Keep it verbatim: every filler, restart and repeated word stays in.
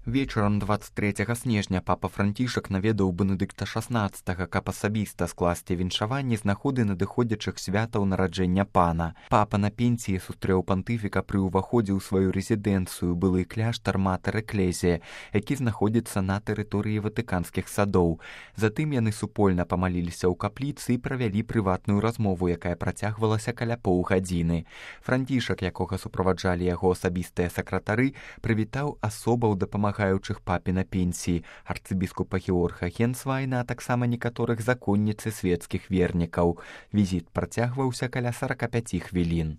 Вечарам дваццаць трэцяга снежня папа Францішак наведаў Бенедыкта шаснаццатага, каб асабіста скласці віншаванне з нагоды надыходзячых святаў нараджэння пана. Папа на пенсіі сустрэў пантыфіка пры ўваходзе ў сваю рэзідэнцыю, былы кляштар Матэр Эклезія, які знаходзіцца на тэрыторыі ватыканскіх садоў. Затым яны супольна памаліліся ў капліцы і правялі прыватную размову, якая працягвалася каля паўгадзіны. Францішак, якога суправаджалі яго асабістыя сакратары, прывітаў асобаў дапамагаючых папе на пенсіі, арцыбіскупа Георга Генсвайна, а таксама некаторых законніц і свецкіх вернікаў. Візіт працягваўся каля сарака пяці хвілін.